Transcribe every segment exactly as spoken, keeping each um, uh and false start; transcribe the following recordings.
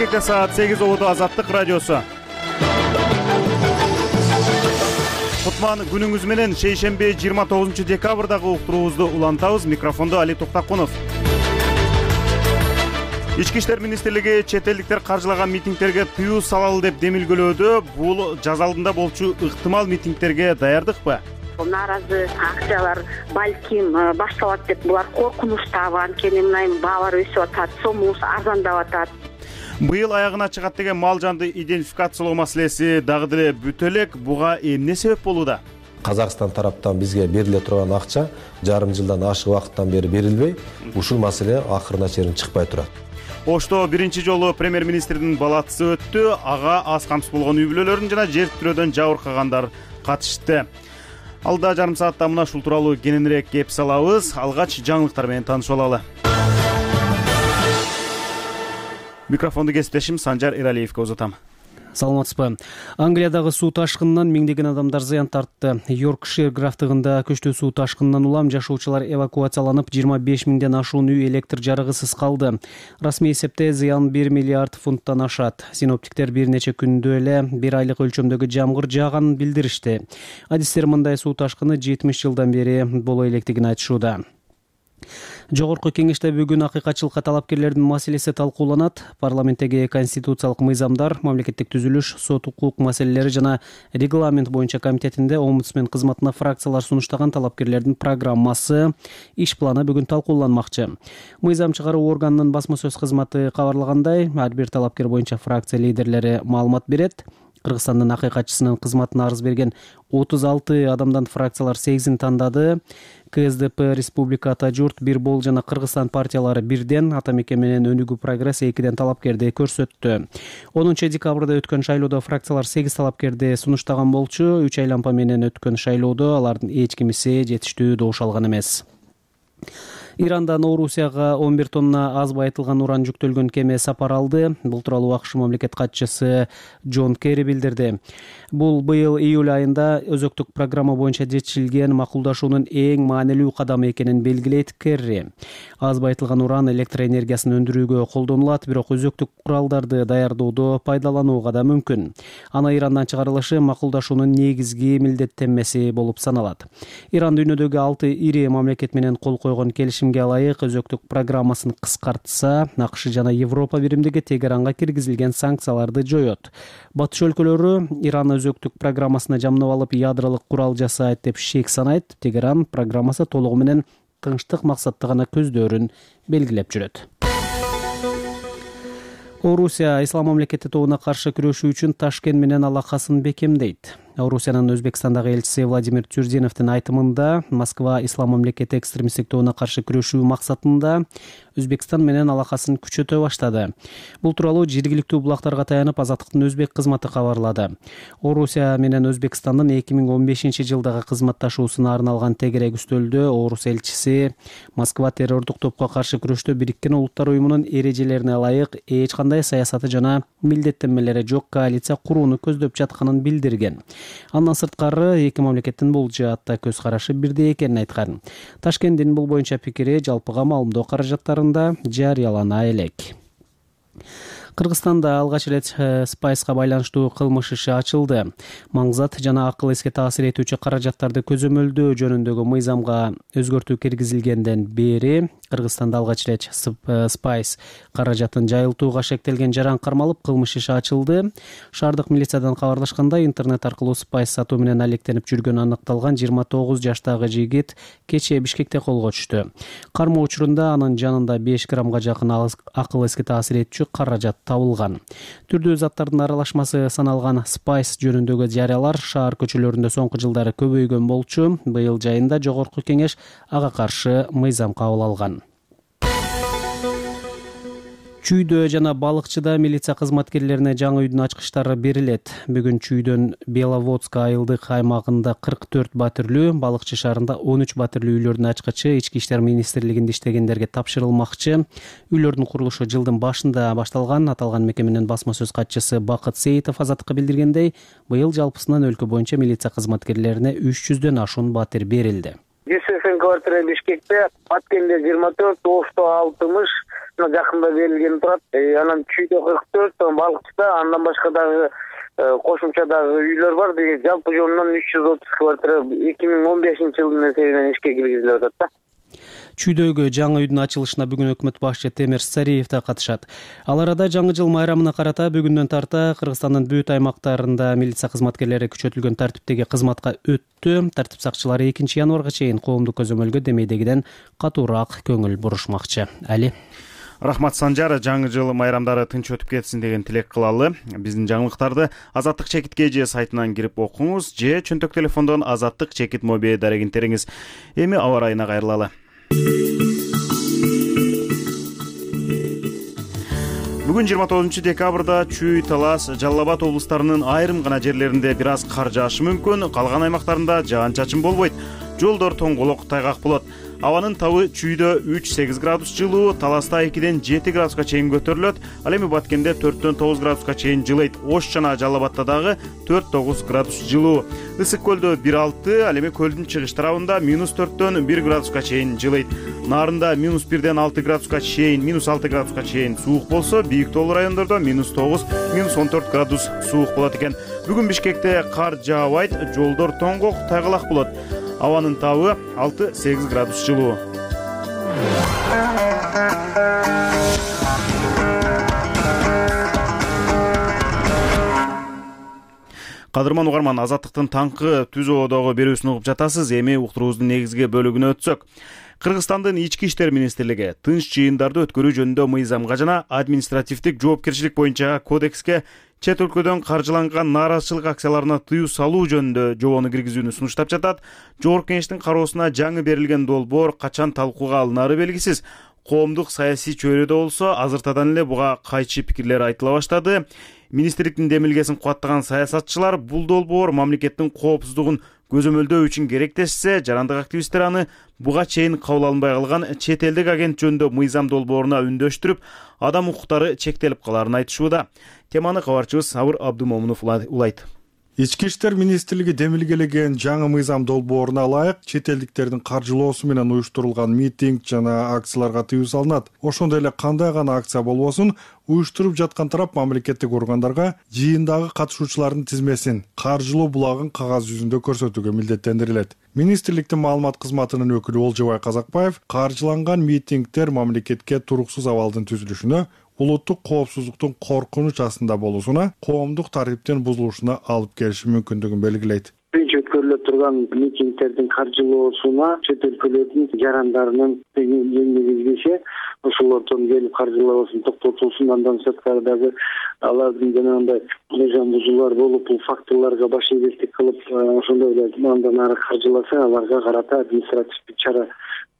Бишкекте саат сегиз болду. Азаттык радиосу. Кутман күнүңүз менен. Шейшемби жыйырма тогузунчу декабрдагы уктуруубузду улантабыз. Микрофондо Али Токтакунов. Ички иштер министрлиги чет элдиктер каржылаган митингдерге тыюу салалы деп демилгөлөөдө. Бул жаз алдында болчу ыктымал митингдерге даярдыкпы? Нааразы акциялар балким башталат деп булар коркунучтабы, анткени мына баалар өсүп атат, сомубуз арзандап атат. Быйыл аягына чыгат деген мал жанды идентификациялоо маселеси дагы деле бүтө элек. Буга эмне себеп болууда? Казакстан тараптан бизге бериле турган акча жарым жылдан ашык убакыттан бери берилбей, ушул маселе акырына чейин чыкпай турат. Ошто биринчи жолу премьер-министрдин балатысы өттү. Ага аз камсыз болгон үй бүлөлөрүн жана жер тирөөдөн жабыркагандар катышты. Алда жарым саатта мына ушул тууралуу кененирээк кеп салабыз. Алгач жаңылыктар менен таанышып алалы. Микрофонду кесиптешим Санжар Эралиевге узатам. Саламатсызбы. Англиядагы суу ташкынынан миңдеген адамдар зыян тартты. Йоркшир графтыгында көчтүү суу ташкынынан улам жашоочулар эвакуацияланып, жыйырма беш миңден ашуун үй электр жарыгысыз калды. Расмий эсепте зыян бир миллиард фунттан ашат. Синоптиктер бир нече күндө эле бир айлык өлчөмдөгү жамгыр жааганын билдиришти. Адистер мындай суу ташкыны жетимиш жылдан бери боло электигин айтышууда. Жогорку кеңеште бүгүн акыйкатчылыкка талапкерлердин маселеси талкууланат. Парламенттеги конституциялык мыйзамдар, мамлекеттик түзүлүш, сот укук маселелери жана регламент боюнча комитетинде омбудсмен кызматына фракциялар сунуштаган талапкерлердин программасы, иш планы бүгүн талкууланмакчы. Мыйзам чыгаруу органынын басма сөз кызматы кабарлагандай, ар бир талапкер боюнча фракция лидерлери маалымат берет. Кыргызстандын акыйкатчысынын кызматына арыз берген отуз алты адамдан фракциялар сегизин тандады. КСДП, Республика Ата журт, Бир бол жана Кыргызстан партиялары бирден, Ата мекен менен Өнүгүү прогресс экиден талапкерди көрсөттү. онунчу декабрда өткөн шайлоодо фракциялар сегиз талапкерди сунуштаган болчу. Үч айлампа менен өткөн шайлоодо алардын эч кимиси жетиштүү добуш алган эмес. Ирандан Орусияга он бир тонна аз байытылган уран жүктөлгөн кеме сапар алды. Бул тууралуу АКШ мамлекет катчысы Джон Керри билдирди. Бул быйыл июль айында өзөктүк программа боюнча жетишилген макулдашуунун эң маанилүү кадамы экенин белгилейт Керри. Аз байытылган уран электр энергиясын өндүрүүгө колдонулат, бирок өзөктүк куралдарды даярдоодо пайдаланууга да мүмкүн. Аны Ирандан чыгарылышы макулдашуунун негизги милдеттенмеси болуп саналат. Иран дүйнөдөгү алты ири мамлекет менен кол койгон келишим ылайык өзөктүк программасын кыскартса, АКШ жана Европа биримдиги Тегеранга киргизилген санкцияларды жоет. Батыш өлкөлөрү Иран өзөктүк программасына жамнап алып, ядролук курал жасайт деп шек санайт. Тегеран программасы толугу менен тынчтык максатты гана көздөрүн белгилеп жүрөт. Орусия ислам мамлекети тобуна каршы күрөшүү үчүн Ташкент менен алакасын бекемдейт. Орусиянын Өзбекстандагы элчиси Владимир Тюрдиновдун айтымында, Москва ислам мамлекети экстремисттик тобуна каршы күрөшүү максатында Өзбекстан менен алакасын күчөтө баштады. Бул тууралуу жергиликтүү булактарга таянып Азаттыктын өзбек кызматы кабарлады. Орусия менен Өзбекстандын эки миң он бешинчи жылдагы кызматташуусуна арналган тегерек үстөлдө Орус элчиси Москва террордук топко каршы күрөштө Бириккен Улуттар уюмунун эрежелерине ылайык эч кандай саясаты жана милдеттенмелери жок коалиция курууну көздөп жатканын билдирген. Андан сырткары эки мамлекеттин бул жаатта көз карашы бирдей экенин айткан. Ташкенттин бул боюнча пикири жалпыга маалымдоо каражаттарында жарыялана элек. Кыргызстанда алгач ирет спайска байланыштуу кылмыш иши ачылды. Маңзат жана акыл эске таасир этүүчү каражаттарды көзөмөлдөө жөнүндөгү мыйзамга өзгөртүү киргизилгенден бери Кыргызстанда алгач ирет спайс каражатын жайылтууга шектелген жаран кармалып, кылмыш иши ачылды. Шаардык милициядан кабарлашкандай, интернет аркылуу спайс сатуу менен алектенип жүргөнү аныкталган жыйырма тогуз жаштагы жигит кечээ Бишкекте колго түштү. Кармоо учурунда анын жанында беш граммга жакын акыл эске таасир этүүчү каражат табылган. Түрдүү заттардын аралашмасы саналган спайс жөнүндөгү жарыялар шаар көчөлөрүндө соңку жылдары көбөйгөн болчу. Быйыл жайында жогорку кеңеш ага каршы мыйзам кабыл алган. Чүйдө жана балыкчыда милиция кызматкерлерине жаңы үйдүн ачкычтары берилет. Бүгүн Чүйдөн Беловодск айылдык аймагында кырк төрт батирлүү, Балыкчы шаарында он үч батирлүү үйлөрдүн ачкычы Ички иштер министрлигинде иштегендерге тапшырылмакчы. Үйлөрдүн курулушу жылдын башында башталган. Аталган мекеменин басма сөз катчысы Бакыт Сейитов Азаттыкка билдиргендей, быйыл жалпысынан өлкө боюнча милиция кызматкерлерине үч жүздөн ашуун батир берилди. ЖСФ квартира Бишкекте, Баткенде жыйырма төрт, Ошто алтымыш, башына жакында берилген турат. Анан Чүйдө кырк төрт, Балыкчыда, андан башка дагы кошумча дагы үйлөр бар. Деген жалпы жонунан үч жүз отуз квартира эки миң он бешинчи жылдын эсебинен ишке киргизилип атат да. Чүйдөгү жаңы үйдүн ачылышына бүгүн өкмөт башчы Темир Сариев да катышат. Ал арада жаңы жыл майрамына карата бүгүндөн тарта Кыргызстандын бүт аймактарында милиция кызматкерлери күчөтүлгөн тартиптеги кызматка өттү. Тартип сакчылары экинчи январга чейин коомдук көзөмөлгө демейдегиден катуураак көңүл бурушмакчы. Али. Рахмат Санжар, жаңы жыл майрамдары тынч өтүп кетсин деген тилек кылалы. Биздин жаңылыктарды Азаттык чекитке же сайтынан кирип окуңуз, же чөнтөк телефондон Азаттык чекит моби дарегин териңиз. Эми аба ырайына кайрылалы. Бүгүн жыйырма тогузунчу декабрда Чүй, Талас, Жалал Абад облустарынын айрым гана жерлеринде бир аз кар жаашы мүмкүн, калган аймактарында жаан-чачын болбойт. Жолдор тоңголок, тайгак болот. Абанын табы Чүйдө үч сегиз градус жылуу, Таласта экиден жети градуска чейин көтөрүлөт. Ал эми Баткенде төрттөн тогуз градуска чейин жылыйт. Ош жана Жалал Абадта дагы төрт тогуз градус жылуу. Ысык көлдө бир алты, ал эми көлдүн чыгыш тарабында минус төрттөн бир градуска чейин жылыйт. Нарында минус бирден алты градуска чейин, минус алты градуска чейин суук болсо, бийик тоолуу райондордо минус тогуз, минус он төрт градус суук болот экен. Бүгүн Бишкекте кар жаабайт, жолдор тоңгок, тайгалак болот. Абанын табы алты сегиз градус жылуу. Кадырман угарман, Азаттыктын таңкы түз ободогу берүүсүн угуп жатасыз. Эми уктуруубуздун негизги бөлүгүнө өтсөк. Кыргызстандын ички иштер министрлиги тынч жыйындарды өткөрүү жөнүндө мыйзамга жана административдик жоопкерчилик боюнча кодекске чет өлкөдөн каржыланган нааразычылык акцияларына тыюу салуу жөнүндө жобону киргизүүнү сунуштап жатат. Жогорку Кеңештин кароосуна жаңы берилген долбоор качан талкууга алынары белгисиз. Коомдук саясий чөйрөдө болсо азыртадан эле буга кайчы пикирлер айтыла баштады. Министрликтин демилгесин кубаттаган саясатчылар бул долбоор мамлекеттин коопсуздугун көзөмөлдөө үчүн керектешсе, жарандык активисттер аны буга чейин кабыл алынбай калган чет элдик агент жөнүндө мыйзам долбооруна үндөштүрүп, адам укуктары чектелип каларын айтышууда. Теманы кабарчыбыз Сабыр Абдумомунов улайт. Ички иштер министрлиги демилгелеген жаңы мыйзам долбооруна ылайык чет элдиктердин каржылоосу менен уюштурулган митинг жана акцияларга тыюу салынат. Ошондой эле кандай гана акция болбосун, уюштуруп жаткан тарап мамлекеттик органдарга жыйындагы катышуучулардын тизмесин, каржылоо булагын кагаз жүзүндө көрсөтүүгө милдеттендирилет. Министрликтин маалымат кызматынын өкүлү Олжобай Казакбаев каржыланган митингдер мамлекетке туруксуз абалдын түзүлүшүнө, улуттук коопсуздуктун коркунуч астында болуусуна, коомдук тартиптин бузулушуна алып келиши мүмкүндүгүн белгилейт. Биринчи өткөрүлө турган митингдердин каржылоосуна чет өлкөлөрдүн жарандарынын жеңилдеше, ошолордон келип каржылоосун токтотулсун. Андан сырткары дагы алардын жанагындай мыйзам бузуулар болуп, бул фактыларга баш ийгилдик кылып, ошондой эле андан ары каржыласа, аларга карата административдик чара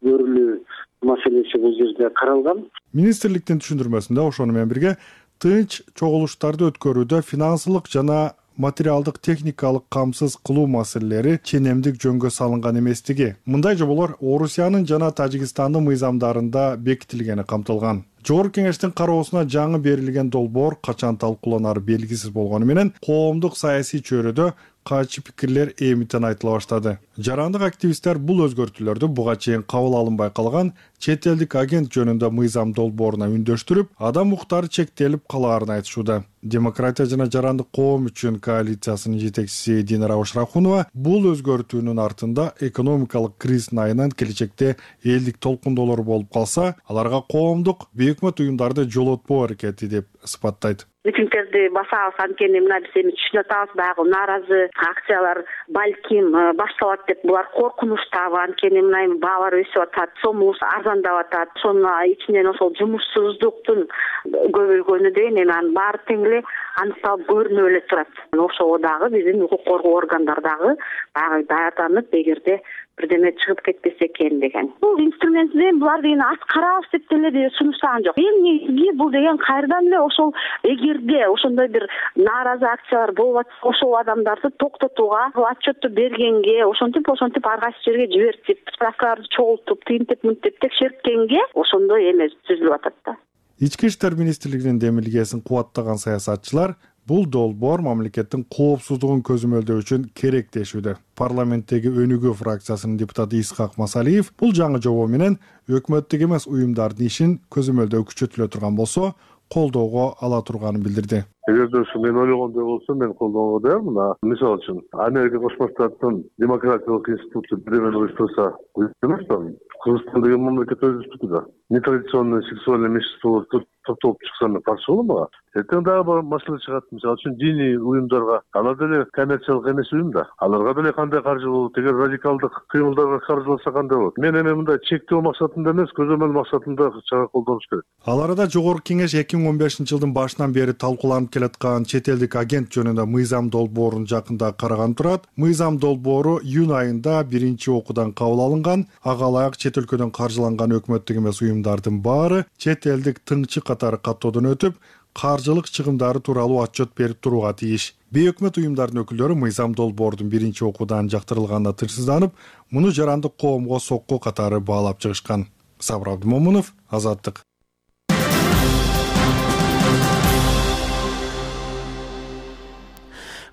көрүлүү маселеси бул жерде каралган. Министрликтин түшүндүрмөсүндө ошону менен бирге тынч чогулуштарды өткөрүүдө финансылык жана материалдык техникалык камсыз кылуу маселелери ченемдик жөнгө салынган эместиги. Мындай жоболор Орусиянын жана Тажикстандын мыйзамдарында бекитилгени камтылган. Жогорку Кеңештин кароосуна жаңы берилген долбоор качан талкууланары белгисиз болгону менен коомдук саясий чөйрөдө кайчы пикирлер эмитен айтыла баштады. Жарандык активисттер бул өзгөртүүлөрдү буга чейин кабыл алынбай калган чет элдик агент жөнүндө мыйзам долбооруна үндөштүрүп, адам укуктары чектелип калаарын айтышууда. Демократия жана жарандык коом үчүн коалициясынын жетекчиси Динара Ошрахунова бул өзгөртүүнүн артында экономикалык кризистин айынан келечекте элдик толкундоолор болуп калса, аларга коомдук бейөкмөт уюмдарды жолотпоо аракети деп сыпаттайт. Митингдерди басабыз, анткени мына биз эми түшүнүп атабыз, баягы нааразы акциялар балким башталат деп булар коркунучтабы, анткени мына эми баалар өсүп атат, сомубуз арзандап атат. Ошонун ичинен ошол жумушсуздуктун көбөйгөнү деген эми анын баары тең эле аныкталып көрүнүп эле турат. Ошого дагы биздин укук коргоо органдар дагы баягы даярданып, эгерде бирдеме чыгып кетпесе экен деген. Бул инструмент менен булар деген аз карабыз деп деле сунуштаган жок. Эң негизги бул деген кайрадан эле ошол эгерде ошондой бир нааразы акциялар болуп атса, ошол адамдарды токтотууга отчетту бергенге, ошентип ошентип ар кайсы жерге жибертип, справкаларды чогултуп, тинтип мынтип текшерткенге ошондой эме түзүлүп атат да. Ички иштер министрлигинин демилгесин кубаттаган саясатчылар бул долбоор мамлекеттин коопсуздугун көзөмөлдөө үчүн керек дешүүдө. Парламенттеги Өнүгүү фракциясынын депутаты Исхак Масалиев бул жаңы жобо менен өкмөттүк эмес уюмдардын ишин көзөмөлдөө күчөтүлө турган болсо, колдоого ала турганын билдирди. Эгерде ушу мен ойлогондой болсо, мен колдоого даярмын. Мисалы үчүн, Америка Кошмо Штаттын демократиялык институту биремени уюштурса, уюштурмашпы? Кыргызстан деген мамлекет өз институту да. Нетрадиционный сексуальный меньшинстволор топтолуп чыкса мен каршы болом. Эртең дагы маселе чыгат. Мисалы үчүн диний уюмдарга, алар деле коммерциялык эмес уюм да. Аларга деле кандай каржы болот? Эгер радикалдык кыймылдарга каржыласа кандай болот? Мен эми мындай чектөө максатында эмес, көзөмөл максатында чара колдонуш керек. Ал арада Жогорку Кеңеш эки миң он бешинчи жылдын башынан бери талкууланып келаткан чет элдик агент жөнүндө мыйзам долбоорун жакында караган турат. Мыйзам долбоору июнь айында биринчи окуудан кабыл алынган. Ага ылайык чет өлкөдөн каржыланган өкмөттүк эмес уюмдардын баары чет элдик тыңчы катары каттоодон өтүп, каржылык чыгымдары тууралуу отчет берип турууга тийиш. Бейөкмөт уюмдардын өкүлдөрү мыйзам долбоордун биринчи окуудан жактырылганына тынчсызданып, муну жарандык коомго сокку катары баалап чыгышкан. Сабыр Абдымомунов, Азаттык.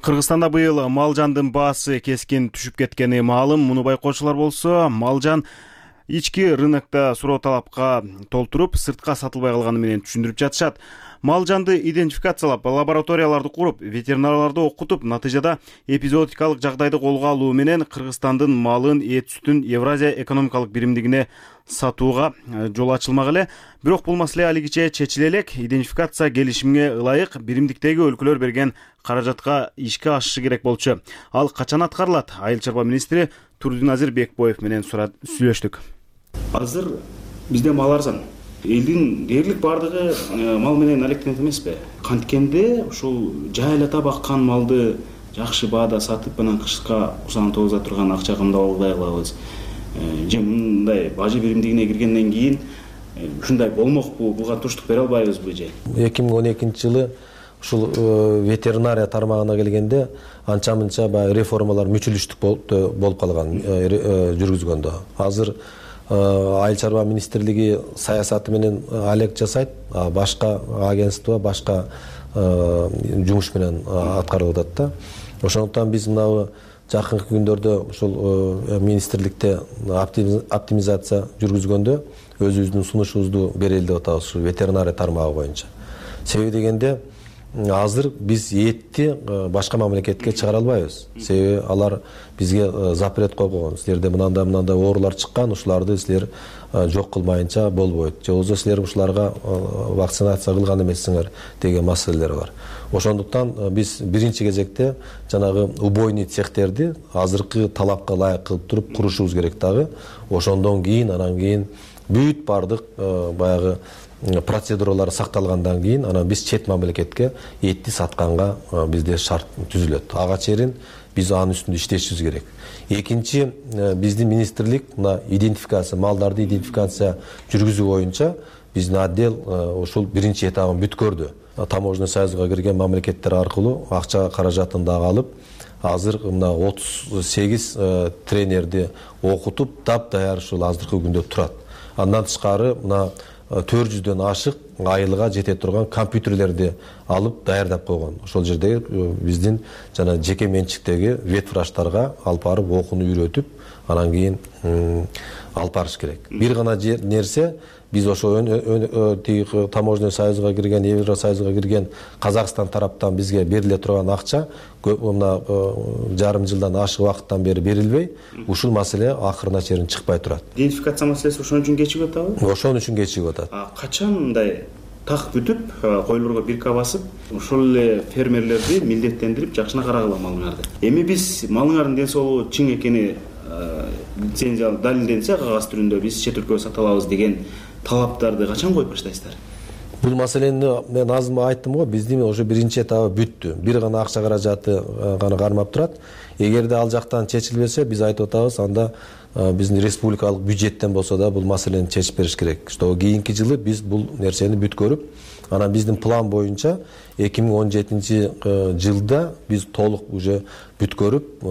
Кыргызстанда быйыл мал жандын баасы кескин түшүп кеткени маалым. Муну байкоочулар болсо, мал жан ички рынокто суроо талапка толтуруп, сыртка сатылбай калганы менен түшүндүрүп жатышат. Мал жанды идентификациялап, лабораторияларды куруп, ветеринарларды окутуп, натыйжада эпизоотикалык жагдайды колго алуу менен Кыргызстандын малын, эт сүтүн Евразия экономикалык биримдигине сатууга жол ачылмак эле. Бирок бул маселе алигиче чечиле элек. Идентификация келишимге ылайык биримдиктеги өлкөлөр берген каражатка ишке ашышы керек болчу. Ал качан аткарылат? Айыл чарба министри Турдуназир Бекбоев менен сүйлөштүк. Азыр бизде мал арзан. Элдин дээрлик бардыгы мал менен алектенет эмеспи? Канткенде ушул жайлата баккан малды жакшы баада сатып, анан кышка усаны тогуза турган акча кымдап алгыдай кылабыз. Же мындай бажы биримдигине киргенден кийин ушундай болмокпу? Буга туруштук бере албайбызбы же? эки миң он экинчи жылы ушул ветеринария тармагына келгенде анча-мынча баягы реформалар мүчүлүштүк болуп калган жүргүзгөндө. Азыр Айыл чарба министрлиги саясаты менен алек жасайт, башка агентство, башка жумуш менен аткарылып атат да. Ошондуктан биз мына жакынкы күндөрдө ушул министрликте оптимизация жүргүзгөндө өзүбүздүн сунушубузду берели деп атабыз ушул ветеринария тармагы боюнча. Себеби дегенде азыр биз этти башка мамлекетке чыгара албайбыз. Себеби алар бизге запрет коюп койгон. Силерде мынандай мынандай оорулар чыккан, ушуларды силер жок кылмайынча болбойт. Же болбосо силер ушуларга вакцинация кылган эмессиңер деген маселелер бар. Ошондуктан биз биринчи кезекте жанагы убойный цехтерди азыркы талапка ылайык кылып туруп курушубуз керек дагы. Ошондон кийин анан кийин бүт бардык баягы процедуралар сакталгандан кийин анан биз чет мамлекетке этти сатканга бизде шарт түзүлөт. Ага чейин биз анын үстүндө иштешибиз керек. Экинчи, биздин министрлик мына идентификация, малдарды идентификация жүргүзүү боюнча биздин отдел ушул биринчи этабын бүткөрдү. Таможенный союзга кирген мамлекеттер аркылуу акча каражатын дагы алып, азыр мына отуз сегиз тренерди окутуп, таптаяр ушул азыркы күндө турат. Андан тышкары мына төрт жүздөн ашык айылга жете турган компьютерлерди алып даярдап койгон. Ошол жерде биздин жана жеке менчиктеги ветврачтарга алып барып окууну үйрөтүп, анан кийин алып барыш керек. Бир гана нерсе, биз ошо таможенный союзга кирген, Евросоюзга кирген Казакстан тараптан бизге бериле турган акча мына жарым жылдан ашык убакыттан бери берилбей, ушул маселе акырына чейин чыкпай турат. Идентификация маселеси ошон үчүн кечигип атабы? Ошон үчүн кечигип атат. Качан мындай так бүтүп, койлорго бирка басып, ошол эле фермерлерди милдеттендирип жакшына карагыла малыңарды. Эми биз малыңардын ден соолугу чың экени лицензия далилденсе, кагаз түрүндө биз чет өлкөгө сата алабыз деген талаптарды качан коюп баштайсыздар? Бул маселени мен азыр айттым го, биздин ошо биринчи этабы бүттү. Бир гана акча каражаты гана кармап турат. эгерде ал жактан чечилбесе, биз айтып атабыз, анда биздин республикалык бюджеттен болсо да бул маселени чечип бериш керек. Что кийинки жылы биз бул нерсени бүткөрүп, анан биздин план боюнча эки миң он жетинчи жылда биз толук уже бүткөрүп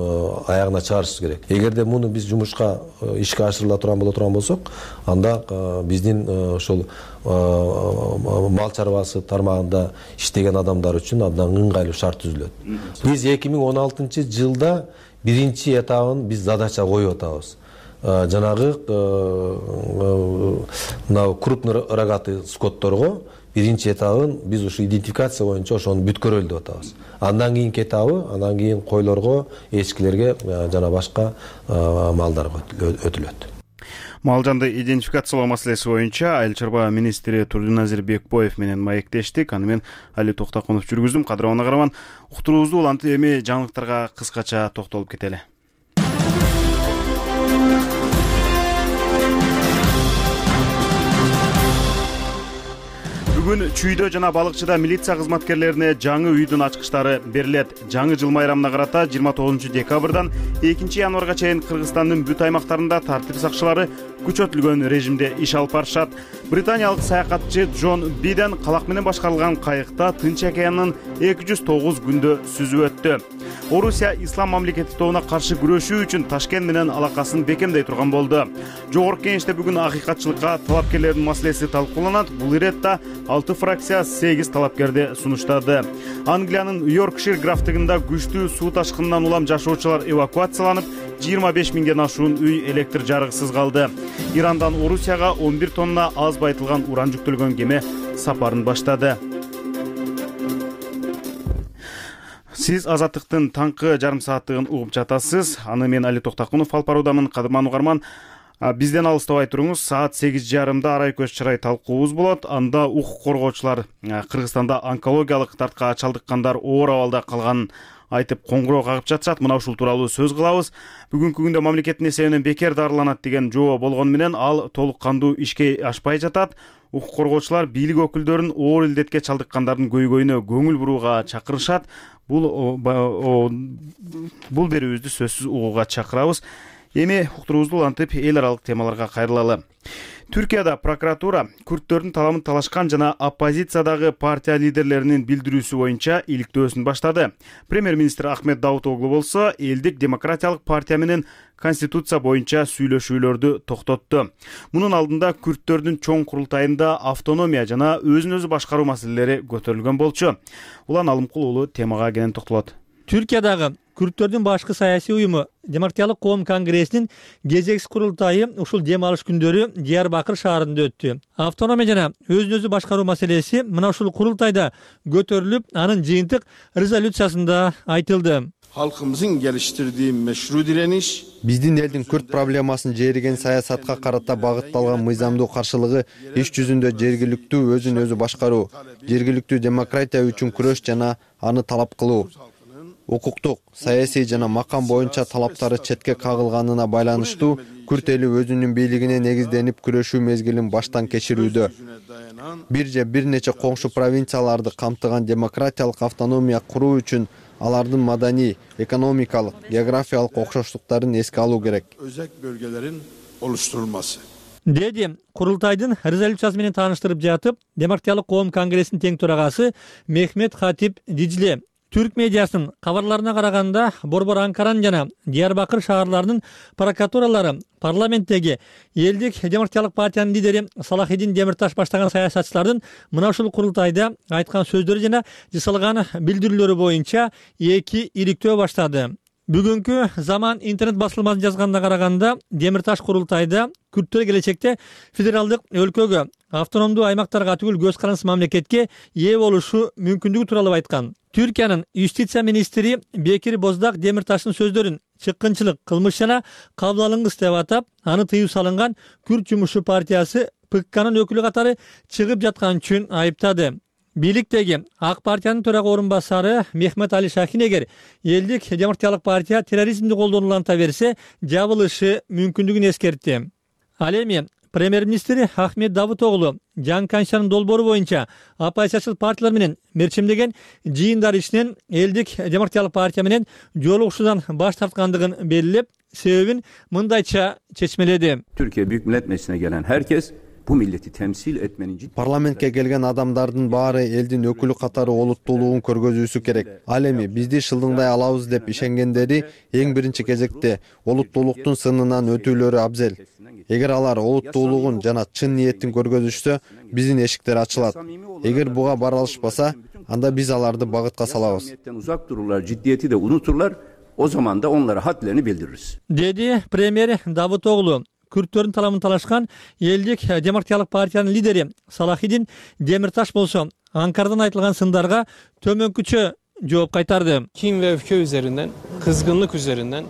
аягына чыгарышыбыз керек. Эгерде муну биз жумушка ишке ашырыла турган боло турган болсок, анда биздин ошол мал чарбасы тармагында иштеген адамдар үчүн абдан ыңгайлуу шарт түзүлөт. Биз эки миң он алтынчы жылда биринчи этабын биз задача коюп атабыз. Жанагы мына крупный рогатый скотторго биринчи этабын биз ушу идентификация боюнча ошону бүткөрөлү деп атабыз. Андан кийинки этабы, андан кийин койлорго, эчкилерге жана башка малдарга өтүлөт. Мал жанды идентификациялоо маселеси боюнча Айыл чарба министри Турдуназир Бекбоев менен маектештик. Аны мен Али Токтакунов жүргүздүм. Кадырман Агарман, уктуруубузду улантып эми жаңылыктарга кыскача токтолуп кетели. Бүгүн Чүйдө жана Балыкчыда милиция кызматкерлерине жаңы үйдүн ачкычтары берилет. Жаңы жыл майрамына карата жыйырма тогузунчу декабрдан экинчи январга чейин Кыргызстандын бүт аймактарында тартип сакчылары күчөтүлгөн режимде иш алып барышат. Британиялык саякатчы Джон Биден калак менен башкарылган кайыкта Тынч океандын эки жүз тогуз күндө сүзүп өттү. Орусия ислам мамлекети тобуна каршы күрөшүү үчүн Ташкент менен алакасын бекемдей турган болду. Жогорку кеңеште бүгүн акыйкатчылыкка талапкерлердин маселеси талкууланат. Бул иретте алты фракция сегиз талапкерди сунуштады. Англиянын Йоркшир графтыгында күчтүү суу ташкынынан улам жашоочулар эвакуацияланып, жыйырма беш миңден ашуун үй электр жарыгысыз калды. Ирандан Орусияга он бир тонна аз байтылган уран жүктөлгөн кеме сапарын баштады. Сиз Азаттыктын таңкы жарым сааттыгын угуп жатасыз. Аны мен Али Токтакунов алып баруудамын. Кадырман Угарман, бизден алыстабай туруңуз. Саат сегиз жарымда арай көз чырай талкуубуз болот. Анда укук коргоочулар Кыргызстанда онкологиялык дартка чалдыккандар оор абалда калганын айтып коңгуроо кагып жатышат. Мына ушул тууралуу сөз кылабыз. Бүгүнкү күндө мамлекеттин эсебинен бекер дарыланат деген жобо болгону менен ал толук кандуу ишке ашпай жатат. Укук коргоочулар бийлик өкүлдөрүн оор илдетке чалдыккандардын көйгөйүнө көңүл бурууга чакырышат. Бул бул берүүбүздү сөзсүз угууга чакырабыз. Эми уктуруубузду улантып эл аралык темаларга кайрылалы. Түркияда прокуратура күрттөрдүн таламын талашкан жана оппозициядагы партия лидерлеринин билдирүүсү боюнча иликтөөсүн баштады. Премьер-министр Ахмет Давутоглу болсо элдик демократиялык партия менен конституция боюнча сүйлөшүүлөрдү токтотту. Мунун алдында күрттөрдүн чоң курултайында автономия жана өзүн өзү башкаруу маселелери көтөрүлгөн болчу. Улан Алымкул уулу темага кенен токтолот. Түркиядагы күрттөрдүн башкы саясий уюму Демократиялык коом конгрессинин кезексиз курултайы ушул дем алыш күндөрү Диярбакыр шаарында өттү. Автономия жана өзүн өзү башкаруу маселеси мына ушул курултайда көтөрүлүп, анын жыйынтык резолюциясында айтылды. Halkımızın geliştirdiği meşru direniş, биздин элдин күрт проблемасын жээреген саясатка карата багытталган мыйзамдуу каршылыгы иш жүзүндө жергиликтүү өзүн өзү башкаруу, жергиликтүү демократия үчүн күрөш жана аны талап кылуу, укуктук, саясий жана макам боюнча талаптары четке кагылганына байланыштуу күрт эли өзүнүн бийлигине негизденип күрөшүү мезгилин баштан кечирүүдө. Бир же бир нече коңшу провинцияларды камтыган демократиялык автономия куруу үчүн алардын маданий, экономикалык, географиялык окшоштуктарын эске алуу керек. Özek bölgelerin oluşturulması. Деди курултайдын резолюциясы менен тааныштырып жатып, Демократиялык коом конгрессинин тең төрагасы Мехмет Хатип Диджле. Түрк медиасынын кабарларына караганда, Борбор Анкаран жана Диярбакыр шаарларынын прокуратуралары парламенттеги элдик демократиялык партиянын лидери Салахидин Демирташ баштаган саясатчылардын мына ушул курултайда айткан сөздөрү жана жасалган билдирүүлөрү боюнча эки иликтөө баштады. Бүгүнкү Заман интернет басылмасын жазганына караганда, Демирташ курултайда күрттөр келечекте федералдык өлкөгө, автономдуу аймактарга түгүл көз карандысыз мамлекетке ээ болушу мүмкүндүгү тууралуу айткан. Түркиянын юстиция министри Бекир Боздак Демирташтын сөздөрүн чыккынчылык, кылмыш жана кабыл алынгыс деп атап, аны тыюу салынган Күрт жумушчу партиясы ПККнын өкүлү катары чыгып жаткан үчүн айыптады. Бийликтеги Ак партиянын төрага орун басары Мехмет Али Шахин эгер элдик демократиялык партия терроризмди колдонуланта берсе, жабылышы мүмкүндүгүн эскертти. Ал эми премьер-министр Ахмет Давутоглу жаңы конституциянын долбоору боюнча оппозициячыл партиялар менен мерчемдеген жыйындар ишинен элдик демократиялык партия менен жолугушуудан баш тарткандыгын белгилеп, себебин мындайча чечмеледи. Türkiye Büyük Millet Meclisi'ne gelen herkes bu milleti temsil etmenin ciddi... Parlamentке келген адамдардын баары элдин өкүлү катары олуттуулугун көргөзүүсү керек. Ал эми бизди шылдыңдай алабыз деп ишенгендери эң биринчи кезекте олуттуулуктун сынынан өтүүлөрү абзел. Эгер алар олуттуулугун жана чын ниеттин көргөзүшсө, биздин эшиктер ачылат. Эгер буга бара алышпаса, анда биз аларды багытка салабыз. Uzak dururlar, ciddiyeti de unuturlar. O zaman da onlara hadlerini bildiririz. Dedi Premier Давутоглу. Күрттөрдүн талабын талашкан элдик демократиялык партиянын лидери Салахидин Демирташ болсо, Анкарадан айтылган сындарга төмөнкүчө жооп кайтарды. Kin ve öfke üzerinden, kızgınlık üzerinden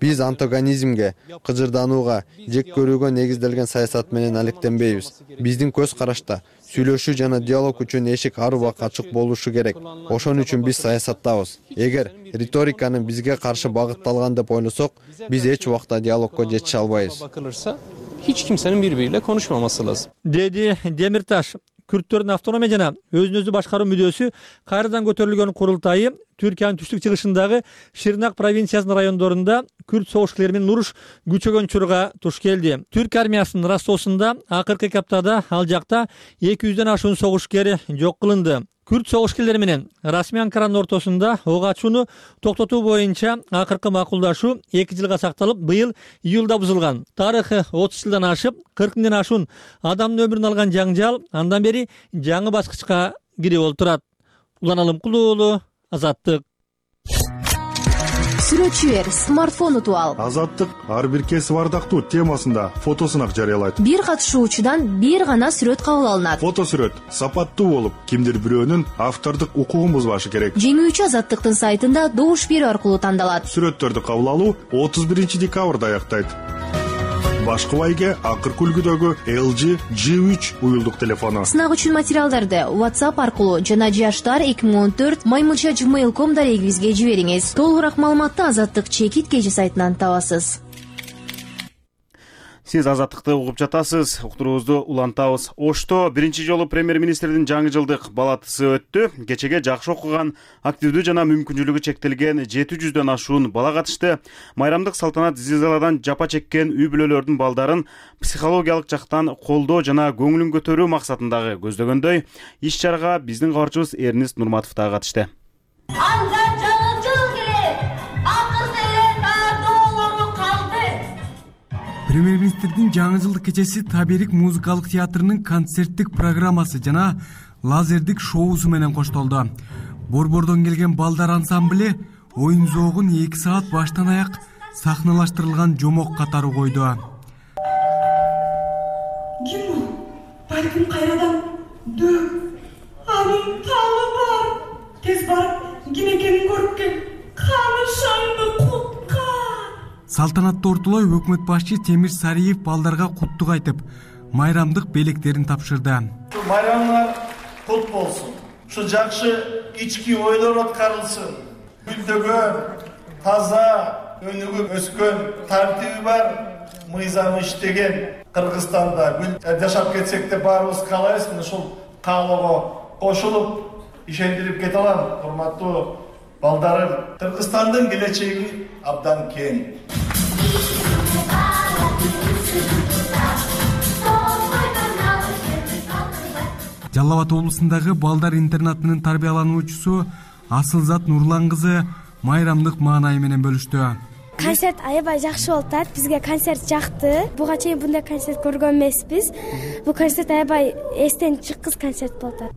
Биз антагонизмге, кыжырданууга, жек көрүүгө негизделген саясат менен алектенбейбиз. Биздин көз карашта сүйлөшүү жана диалог үчүн эшик ар убак ачык болушу керек. Ошон үчүн биз саясаттабыз. Эгер риториканын бизге каршы багытталган деп ойлосок, биз эч убакта диалогко жетише албайбыз. bakılırsa hiç kimsenin birbiriyle konuşmaması lazım. Dedi Демирташ. Күрттөрдүн автономия жана өзүн өзү башкаруу мүдөөсү кайрадан көтөрүлгөн курултайы Түркиянын түштүк чыгышындагы Ширнак провинциясынын райондорунда күрт согушчулар менен уруш күчөгөн учурга туш келди. Түрк армиясынын Ростовсунда акыркы эки аптада ал жакта эки жүздөн ашуун согушкер жок кылынды. Күрт согушкерлери менен расмий Анкаранын ортосунда ок ачууну токтотуу боюнча акыркы макулдашуу эки жылга сакталып, быйыл июлда бузулган. Тарыхы отуз жылдан ашып, кырк миңден ашуун адамдын өмүрүн алган жаңжал андан бери жаңы баскычка кирип олтурат. Улан Алымкулуу уулу, Азаттык. Сүрөтчүлөр смартфон утуп ал. Азаттык ар бир кесип ардактуу темасында фотосунак жарыялайт. Бир катышуучудан бир гана сүрөт кабыл алынат. Фотосүрөт сапаттуу болуп, кимдир бирөөнүн автордук укугун бузбашы керек. Жеңүүчү Азаттыктын сайтында добуш берүү аркылуу тандалат. Сүрөттөрдү кабыл алуу отуз биринчи декабрда аяктайт. Башкы байге акыркы үлгүдөгү эл джи джи үч уюлдук телефону. Сынак үчүн материалдарды WhatsApp аркылуу жана жаштар эки миң он төрт маймылча gmail точка ком дарегибизге жибериңиз. Толугураак маалыматты Азаттык чекит кежи сайтынан табасыз. Сиз Азаттыкты угуп жатасыз. Уктуруубузду улантабыз. Ошто биринчи жолу премьер-министрдин жаңы жылдык балатысы өттү. Кечеге жакшы окуган, активдүү жана мүмкүнчүлүгү чектелген жети жүздөн ашуун бала катышты. Майрамдык салтанат зилзаладан жапа чеккен үй бүлөлөрдүн балдарын психологиялык жактан колдоо жана көңүлүн көтөрүү максатындагы көздөгөндөй иш-чарага биздин кабарчыбыз Эрнист Нурматов да катышты. Премьер-министрдин жаңы жылдык кечеси Таберик музыкалык театрынын концерттик программасы жана лазердик шоусу менен коштолду. Борбордон келген балдар ансамбле оюн зоогун эки саат баштан аяк сахналаштырылган жомок катары койду. Ким балким кайрадан дөп анын талы бар. Тез барып кимекенин көрүп кел. Каны шаңды кутка. Салтанатты ортолой өкмөт башчы Темир Сариев балдарга куттук айтып, майрамдык белектерин тапшырды. Майрамыңар кут болсун. Ушу жакшы ички ойлор аткарылсын. Гүлдөгөн, таза, өнүгүп өскөн, тартиби бар, мыйзамы иштеген Кыргызстанда гүл жашап кетсек деп баарыбыз каалайбыз. Ушул каалоого кошулуп, ишендирип кете алам. Урматтуу балдарым, Кыргызстандын келечеги абдан кең. Жалал Абад облусундагы балдар интернатынын тарбиялануучусу Асылзат Нурлан кызы майрамдык маанай менен бөлүштү. Концерт аябай жакшы болуп атат. Бизге концерт жакты. Буга чейин мындай концерт көргөн эмеспиз. Бул концерт аябай эстен чыккыс концерт болуп атат.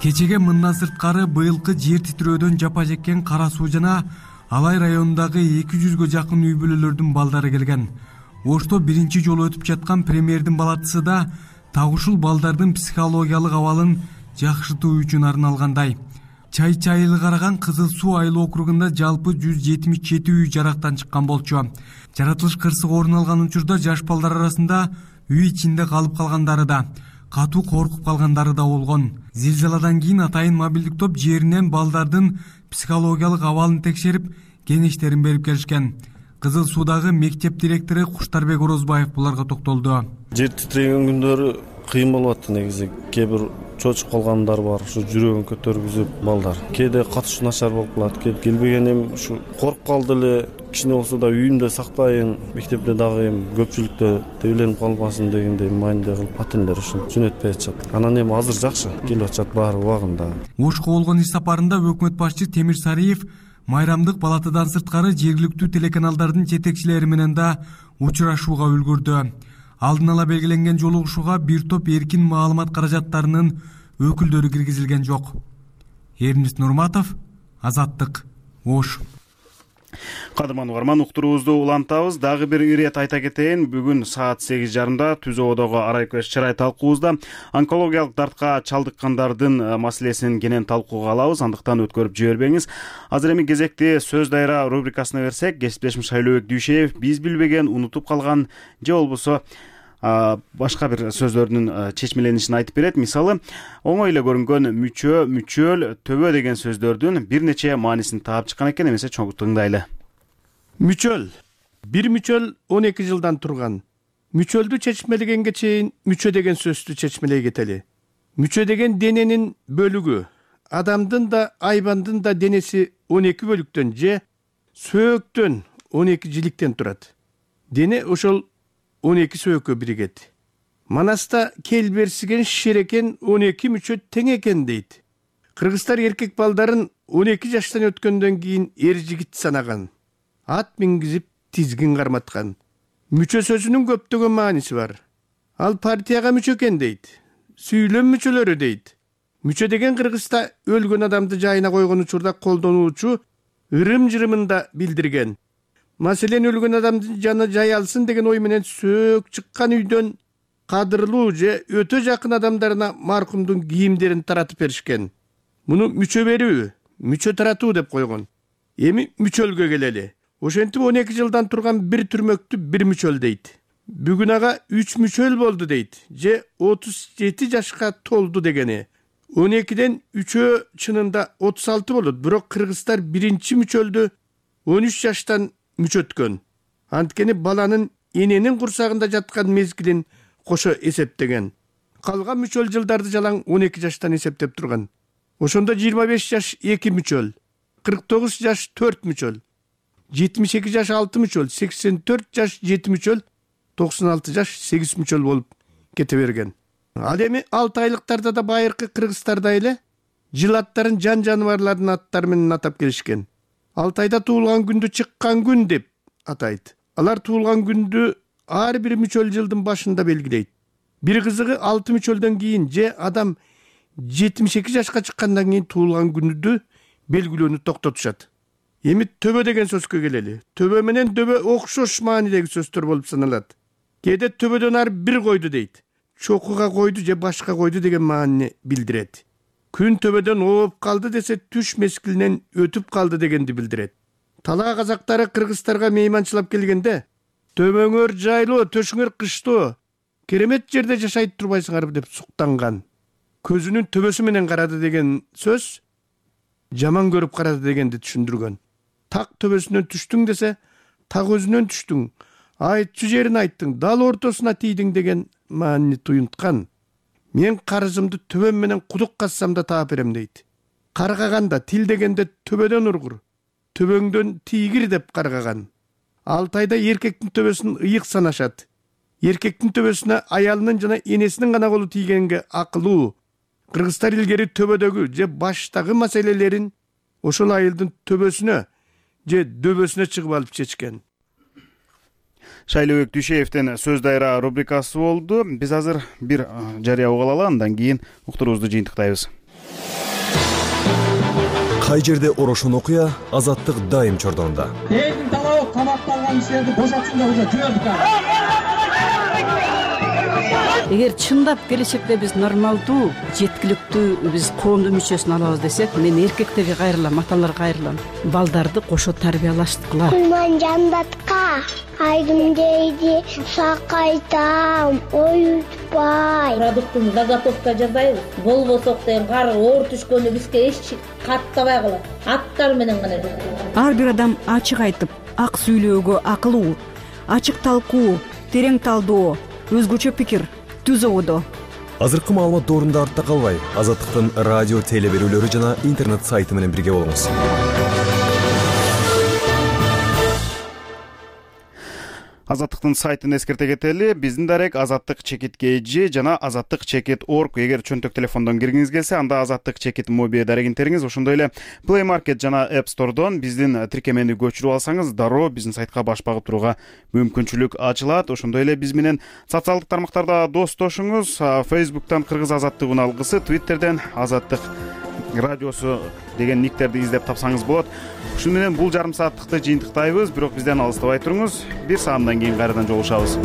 Кечеге мындан сырткары быйылкы жер титирөөдөн жапа чеккен Кара Суу жана Алай районундагы эки жүзгө жакын үй бүлөлөрдүн балдары келген. Ошто биринчи жолу өтүп жаткан премьердин балатысы да так ушул балдардын психологиялык абалын жакшыртуу үчүн арналгандай. Чай чайылы караган Кызыл Суу айыл округунда жалпы жүз жетимиш жети үй жарактан чыккан болчу. Жаратылыш кырсык орун алган учурда жаш балдар арасында үй ичинде калып калгандары да, катуу коркуп калгандары да болгон. Зилзаладан кийин атайын мобилдик топ жеринен балдардын психологиялык абалын текшерип, кеңештерин берип келишкен. Кызыл Суудагы мектеп директору Куштарбек Орозбаев буларга токтолду. Жер титиреген күндөрү кыйын болуп атты негизи. Кээ бир чочуп калгандар бар, ушу жүрөгүн көтөргүзүп балдар. Кээде катыш начар болуп калат, кээде келбеген эми ушу коркуп калды эле. Кичине болсо да үйүмдө сактайын, мектепте дагы эми көпчүлүктө тебеленип калбасын дегендей маанилде кылып ата-энелер ушуну жөнөтпөй атышат. Анан эми азыр жакшы келип атышат баары убагында. Ошко болгон иш сапарында өкмөт башчы Темир Сариев майрамдык палатадан сырткары жергиликтүү телеканалдардын жетекчилери менен да учурашууга үлгүрдү. Алдын ала белгиленген жолугушууга бир топ эркин маалымат каражаттарынын өкүлдөрү киргизилген жок. Эрнест Нурматов, Азаттык, Ош. Кадырман угарман, уктуруубузду улантабыз. Дагы бир ирет айта кетейин. Бүгүн саат сегиз жарымда Түз Ободогу арайкөз чырай талкуубузда онкологиялык дартка чалдыккандардын маселесин кенен талкууга алабыз. Андыктан өткөрүп жибербеңиз. Азыр эми кезекти сөз дайра рубрикасына берсек, кесиптешим Шайлообек Дүйшеев биз билбеген, унутуп калган же болбосо башка бир сөздөрдүн чечмеленишин айтып берет. Мисалы, оңой эле көрүнгөн мүчө, мүчөл, төбө деген сөздөрдүн бир нече маанисин таап чыккан экен. Эмесе чоң тыңдайлы. Мүчөл. Бир мүчөл он эки жылдан турган. Мүчөлдү чечмелегенге чейин мүчө деген сөздү чечмелей кетели. Мүчө деген дененин бөлүгү. Адамдын да, айбандын да денеси он эки бөлүктөн же сөөктөн он эки жиликтен турат. Дене ошол он эки сөөккө биригет. Манаста кел берсиген шерекен он эки мүчө тең экен дейт. Кыргыздар эркек балдарын он эки жаштан өткөндөн кийин эр жигит санаган. Ат мингизип тизгин карматкан. Мүчө сөзүнүн көптөгөн мааниси бар. Ал партияга мүчө экен дейт. Сүйлөм мүчөлөрү дейт. Мүчө деген Кыргызда өлгөн адамды жайына койгон учурда колдонуучу ырым-жырымын да билдирген. Маселен, өлгөн адамдын жаны жай алсын деген ой менен сөөк чыккан үйдөн кадырлуу же өтө жакын адамдарына маркумдун кийимдерин таратып беришкен. Муну мүчө берүү, мүчө таратуу деп койгон. Эми мүчөлгө келели. Ошентип он эки жылдан турган бир түрмөктү бир мүчөл дейт. Бүгүн ага үч мүчөл болду дейт, же отуз жети жашка толду дегени. он экиден үчөө чынында отуз алты болот, бирок кыргыздар биринчи мүчөлдү он үч жаштан мүчөткөн. Анткени баланын эненин курсагында жаткан мезгилин кошо эсептеген. Калган мүчөл жылдарды жалаң он эки жаштан эсептеп турган. Ошондо жыйырма беш жаш эки мүчөл, кырк тогуз жаш төрт мүчөл, жетимиш эки жаш алты мүчөл, сексен төрт жаш жети мүчөл, токсон алты жаш сегиз мүчөл болуп кете берген. Ал эми алты айлыктарда да байыркы кыргыздарда эле жыл аттарын жан жаныбарлардын аттары менен атап келишкен. Алты айда туулган күндү чыккан күн деп атайт. Алар туулган күндү ар бир мүчөл жылдын башында белгилейт. Бир кызыгы алты мүчөлдөн кийин же адам жетимиш эки жашка чыккандан кийин туулган күндү белгилөөнү токтотушат. Эми төбө деген сөзгө келели. Төбө менен дөбө окшош маанидеги сөздөр болуп саналат. Кээде төбөдөн ар бир койду дейт. Чокуга койду же башка койду деген маанини билдирет. Күн төбөдөн ооп калды десе түш мезгилинен өтүп калды дегенди билдирет. Талаа казактары кыргыздарга мейманчылап келгенде төбөңөр жайлуу, төшүңөр кыштоо, керемет жерде жашайт турбайсыңарбы деп суктанган. Көзүнүн төбөсү менен карады деген сөз жаман көрүп карады дегенди түшүндүргөн. Так төбөсүнөн түштүң десе, так өзүнөн түштүң, айтчу жерин айттың, дал ортосуна тийдиң деген маанини туюнткан. Мен карызымды төбөм менен кудук казсам да таап берем дейт. Каргаганда тил дегенде төбөдөн ургур, төбөңдөн тийгир деп каргаган. Алты айда эркектин төбөсүн ыйык санашат. Эркектин төбөсүнө аялынын жана энесинин гана колу тийгенге акылуу. Кыргыздар илгери төбөдөгү же баштагы маселелерин ошол айылдын төбөсүнө же дөбөсүнө чыгып алып чечкен. Шайлообек Дүйшеевдин сөз дайра рубрикасы болду. Биз азыр бир жарыя угуп алалы, андан кийин уктуруубузду жыйынтыктайбыз. Кай жерде орошон окуя, азаттык дайым чордонунда. Элдин талабы камакта алган кишилерди бошотсун деп уже жибердик. эгер чындап келечекте биз нормалдуу жеткиликтүү биз коомдун мүчөсүн алабыз десек, мен эркектерге кайрылам, аталарга кайрылам. Балдарды кошо тарбиялашткыла. Кулман жандатка айдым дейди, сакайтам, оютпай. Продуктун заготовка жасайбыз. Болбосок деген кар оор түшкөндө бизге эч каттабай калат. Аттар менен гана жүрөт. Ар бир адам ачык айтып, ак сүйлөөгө акылуу, ачык талкуу, терең талдоо, өзгөчө пикир түзүүдө. Азыркы маалымат доорунда артта калбай, Азаттыктын радио теле берүүлөрү жана интернет сайты менен бирге болуңуз. Азаттыктын сайтын эскерте кетели. Биздин дарек Азаттык чекит кж жана Азаттык чекит орг. Эгер чөнтөк телефондон киргиңиз келсе, анда Азаттык чекит моби дарегинтериңиз, ошондой эле Play Market жана App Store'дон биздин тиркемени көчүрүп алсаңыз, дароо биздин сайтка баш багып турууга мүмкүнчүлүк ачылат. Ошондой эле биз менен социалдык тармактарда достошуңуз. Facebook'тан Кыргыз Азаттыгынын алгысы, Twitter'ден Азаттык радиосу деген никтерди издеп тапсаңыз болот. Ушуну менен бул жарым сааттыкты жыйынтыктайбыз, бирок бизден алыстабай туруңуз. Бир саамдан кийин кайрадан жолугушабыз.